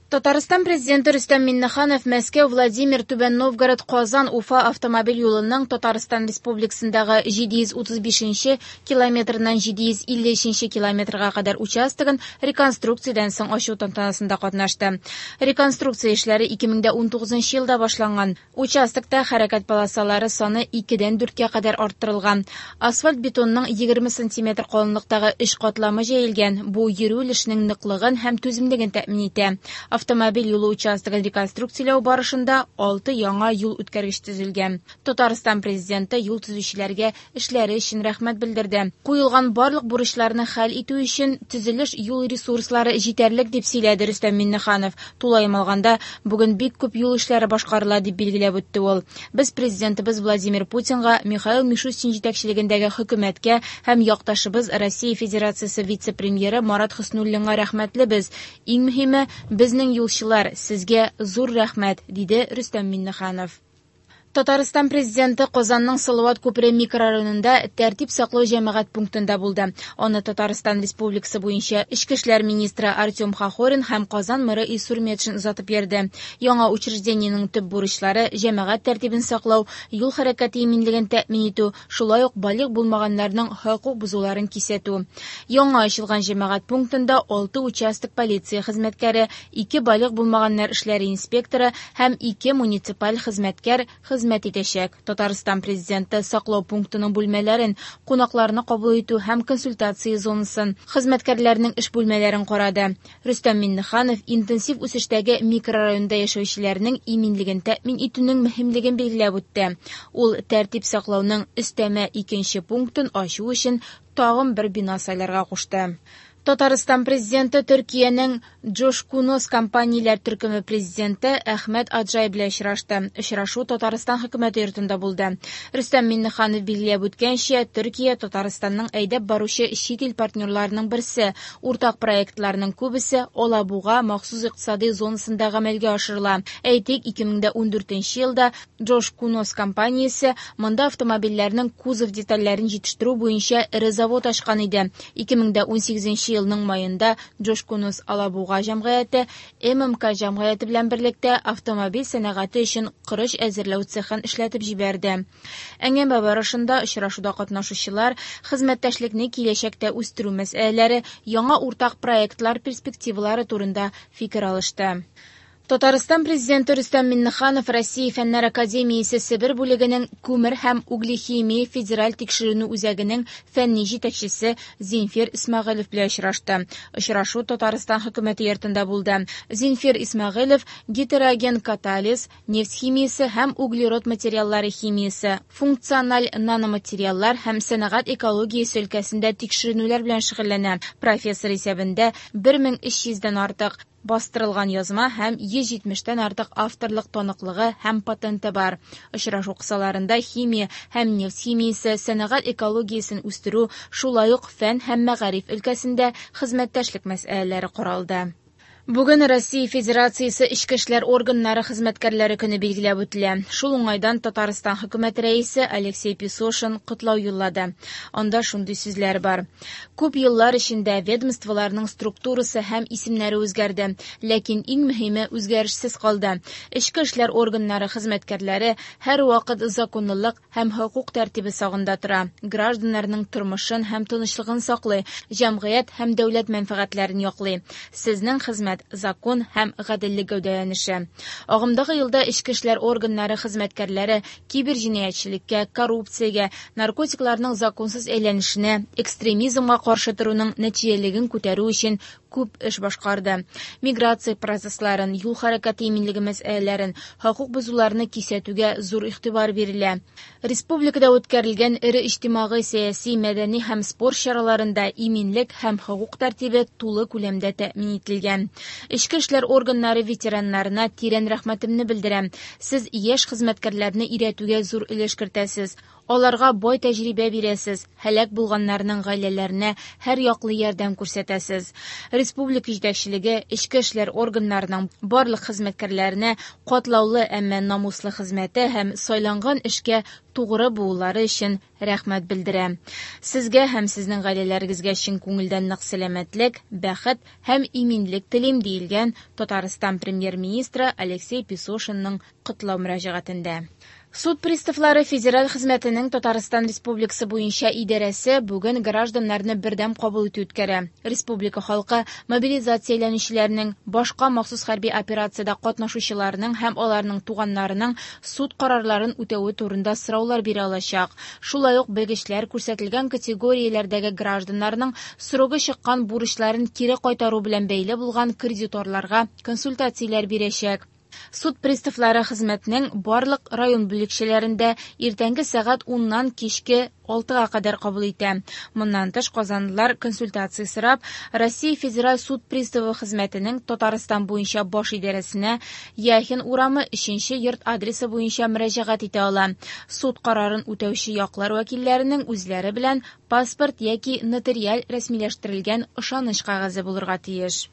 Татарстан Президенты Рөстәм Миңнеханов Мәскәү, Владимир, Түбән Новгород, Казан, Уфа автомобиль юлының Татарстан Республикасындагы 735 нче километрыннан 753 нче километрга кадәр участогын реконструкциядән соң ачу тантанасында катнашты. Реконструкция эшләре 2019 елда башланган. Участокта хәрәкәт полосалары саны икедән дүрткә кадәр арттырылган. Асфальт-бетонның 20 сантиметр калынлыктагы өч катламы җәелгән, бу йөрү өлешенең ныклыгын һәм түземлеген тәэмин итә. Автомобиль юлы участогын реконструкцияләү барышында алты яңа юл үткәргеч төзелгән. Татарстан Президенты юл төзүчеләргә эшләре өчен рәхмәт белдерде. Куелган барлык бурычларны хәл итү өчен төзелеш-юл ресурслары җитәрлек, дип сөйләде Рөстәм Миңнеханов. Тулаем алганда, бүген бик күп юл эшләре башкарыла, дип билгеләп үтте ул. Без Президентыбыз Владимир Путинга, Михаил Мишустин җитәкчелегендәге Хөкүмәткә һәм якташыбыз Россия Федерациясе вице-премьеры Марат Хөснуллинга рәхмәтлебез. Иң мөһиме, безнең юлчылар, сезгә зур рәхмәт, диде Рөстәм Миңнеханов. Татарстан Президенты Казанның Салават күпере микрорайонында тәртип саклау җәмәгать пунктында булды. Аны Татарстан Республикасы буенча Эчке эшләр министры Артем Хохорин һәм Казан мэры Илсур Метшин озатып йөрде. Яңа учреждениенең төп бурычлары, җәмәгать тәртибен саклау, юл хәрәкәте иминлеген тәэмин итү, шулай ук балигъ булмаганнарның хокук бозуларын кисәтү. Яңа ачылган җәмәгать пунктында алты участок полиция хезмәткәре, ике балигъ булмаганнар эшләре инспекторы һәм ике муниципаль хезмәткәр хезмәт итәчәк. Татарстан Президенты саклау пунктының бүлмәләрен, кунакларны кабул итү һәм консультация зонасын, хезмәткәрләрнең эш бүлмәләрен карады. Рөстәм Миңнеханов интенсив үсештәге микрорайонда яшәүчеләрнең иминлеген тәэмин итүнең мөһимлеген билгеләп үтте. Ул тәртип саклауның өстәмә икенче пунктын ачу өчен тагын бер бина сайларга кушты. Татарстан Президенты Төркиянең Джошкунос компанияләр төркеме президенты Әхмәт Аджай белән очрашты. Очрашу Татарстан хөкүмәте йортында булды. Рөстәм Миңнеханов билгеләп үткәнчә, Төркия Татарстанның әйдәп баручы чит ил партнерларының берсе. Уртак проектларның күбесе Алабуга махсус икътисади зонасында гамәлгә ашырыла. Әйтик, 2014 елда Джошкунос компаниясе монда автомобильләрнең кузов детальләрен җитештерү буенча эре завод ачкан иде. 2018 елның маенда Джошкунос Алабуга җәмгыяте ММК җәмгыяте белән берлектә автомобиль сәнәгате өчен корыч әзерләү цехын эшләтеп җибәрде. Әңгәмә барышында очрашуда катнашучылар хезмәттәшлекне киләчәктә үстерү мәсьәләләре, яңа уртак проектлар перспективалары турында фикер алышты. Татарстан Президенты Рөстәм Миңнеханов Россия Фәннәр академиясе Себер бүлегенең күмер һәм углехимия федераль тикшеренү үзәгенең фәнни җитәкчесе Зинфир Исмәгыйлев белән очрашты. Очрашу Татарстан хөкүмәте йортында булды. Зинфир Исмәгыйлев гетероген катализ, нефть химиясе һәм углерод материаллары химиясе, функциональ наноматериаллар һәм сәнәгать экологиясе өлкәсендә тикшеренүләр белән шөгыльләнә. Профессор исәбендә 1300 дән артык бастырылган язма һәм 170 тән артык авторлык таныклыгы һәм патенты бар. Очрашу кысаларында химия һәм нефть химиясе, сәнәгать экологиясен үстерү, шулай ук фән һәм мәгариф өлкәсендә хезмәттәшлек мәсьәләләре каралды. Бүген Россия Федерациясе Эчке эшләр органнары хезмәткәрләре көне билгеләп үтелә. Шул уңайдан Татарстан хөкүмәте рәисе Алексей Песошин котлау юллады. Анда шундый сүзләр бар. Күп еллар эчендә ведомстволарның структурасы һәм исемнәре үзгәрде, ләкин иң мөһиме үзгәрешсез калды. Эчке эшләр органнары хезмәткәрләре һәрвакыт законлылык һәм хокук тәртибе сагында тора, гражданнарның тормышын һәм тынычлыгын саклый, җәмгыять һәм дәүләт мәнфәгатьләрен яклый. Сезнең хезмәт закон һәм гаделлек гәүдәләнеше. Агымдагы елда эчке эшләр органнары хезмәткәрләре киберҗинаятьчелеккә, коррупциягә, наркотикларның законсыз әйләнешенә, экстремизмга каршы торуның нәтиҗәлелеген күтәрү өчен күп эш башкарды. Миграция процессларын, юл хәрәкәте иминлеге мәсьәләләрен, хокук бозуларны кисәтүгә зур игътибар бирелә. Республикада үткәрелгән эре иҗтимагый, сәяси, мәдәни һәм спорт чараларында иминлек һәм хокук тәртибе тулы күләмдә тәэмин ителгән. Эчке эшләр органнары ветераннарына тирән рәхмәтемне белдерәм. Сез яшь хезмәткәрләрне өйрәтүгә зур өлеш кертәсез. Аларга бай тәҗрибә бирәсез, һәлак булганнарның гаиләләренә һәрьяклы ярдәм күрсәтәсез. Республика җитәкчелеге эчке эшләр органнарының барлык хезмәткәрләренә катлаулы, әмма намуслы хезмәте һәм сайланган эшкә тугры булулары өчен рәхмәт белдерә. Сезгә һәм сезнең гаиләләрегезгә чын күңелдән нык сәламәтлек, бәхет һәм иминлек телим, диелгән Татарстан Премьер-министры Алексей Песошинның котлау мөрәҗәгатендә. Суд приставлары федераль хезмәтенең Татарстан Республикасы буенча идарәсе бүген гражданнарны бердәм кабул итү үткәрә. Республика халкы мобилизацияләнүчеләрнең, башка махсус хәрби операциядә катнашучыларның һәм аларның туганнарының суд карарларын үтәве турында сораулар бирә алачак. Шулай ук белгечләр күрсәтелгән категорияләрдәге гражданнарның срогы чыккан бурычларын кире кайтару белән бәйле булган кредиторларга консультацияләр бирәчәк. Суд приставлары хезмәтнең барлык район бүлекчәләрендә иртәнге сәгать 10-нан кичке 6-га кадәр кабул итә. Моннан тыш, казанлылар консультация сорап, Россия Федераль суд приставы хезмәтенең Татарстан буенча баш идарәсенә Яхин урамы 3 йорт адресы буенча мөрәҗәгать итә ала. Суд карарын үтәүче яклар вәкилләренең үзләре белән паспорт яки нотариаль рәсмиләштерелгән ышаныч кәгазе булырга тиеш.